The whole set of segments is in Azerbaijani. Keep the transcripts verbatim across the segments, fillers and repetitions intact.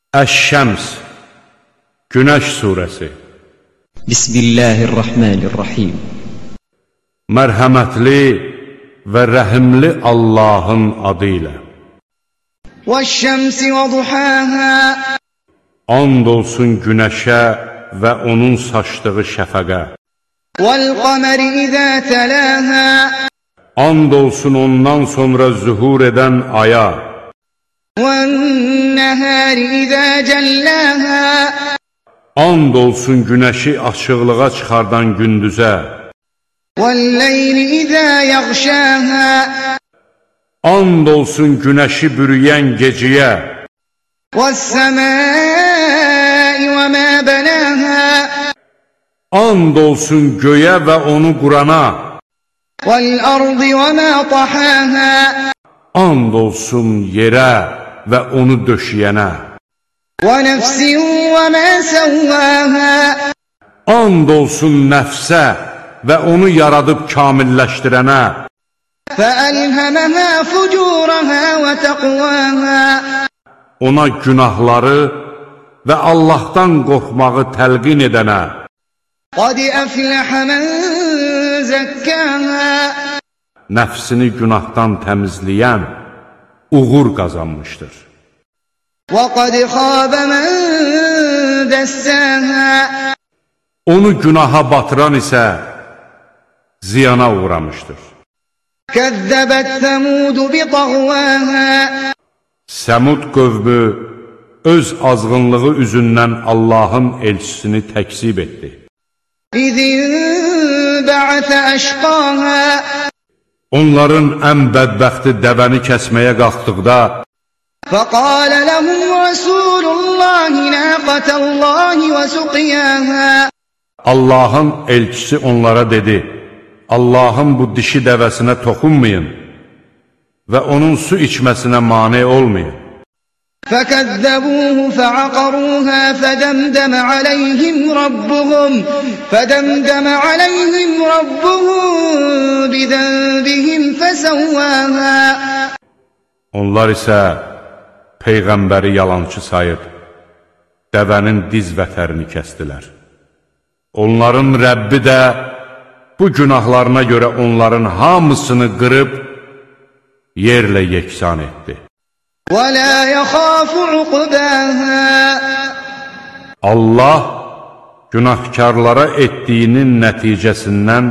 Əş-Şəms, Günəş surəsi. Bismillahirrahmanirrahim. Mərhəmətli və rəhimli Allahın adı ilə. Vəş-şəmsi və duhâhâ. And olsun günəşə və onun saçdığı şəfəqə. Vəl-qəməri izə təlâhâ. And olsun ondan sonra zühur edən aya. Vən-nəhəri izə cəllâhâ. And olsun günəşi açıqlığa çıxardan gündüzə. Vəl-leyli izə yəğşâhâ. And olsun günəşi bürüyən geciyə. Vəs-səmâi və mə bənâhâ. And olsun göyə və onu qurana. Vəl-ardı və mə tahâhâ. And olsun yerə və onu döşəyənə. وَنَفْسٍ وَمَا سَوَّاهَا. And olsun nəfsə və onu yaradıb kamilləşdirənə. فَأَلْهَمَهَا فُجُورَهَا وَتَقْوَاهَا. Ona günahları və Allahdan qorxmağı təlqin edənə. قَدْ أَفْلَحَ مَنْ زَكَّاهَا. Nəfsini günahdan təmizləyən uğur qazanmışdır. وَقَدْ خَابَ مَنْ دَسَّاهَا. Onu günaha batıran isə ziyana uğramışdır. كَذَّبَتْ ثَمُودُ بِطَغْوَاهَا. Səmud qövmü öz azğınlığı üzündən Allahın elçisini təkzib etdi. إِذِ انبَعَثَ أَشْقَاهَا. Onların ən bədbəxti dəvəni kəsməyə qalxdıqda فَقَالَ لَهُمْ رَسُولُ اللّٰهِ نَاقَةَ اللّٰهِ وَسُقْيَاهَا. Allahın elçisi onlara dedi: Allahın bu dişi dəvəsinə toxunmayın və onun su içməsinə mane olmayın. فَكَذَّبُوهُ فَعَقَرُوهَا فَدَمْدَمَ عَلَيْهِمْ رَبُّهُمْ فَدَمْدَمَ عَلَيْهِمْ رَبُّهُمْ بِذَنبِهِمْ فَسَوَّاهَا. Onlar isə Peyğəmbəri yalançı sayıb, dəvənin diz vətərini kəsdilər. Onların Rəbbi də bu günahlarına görə onların hamısını qırıb, yerlə yeksan etdi. وَلَا يَخَافُ عُقْبَاهَا. Allah günahkarlara etdiyinin nəticəsindən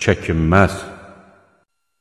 çəkinməz.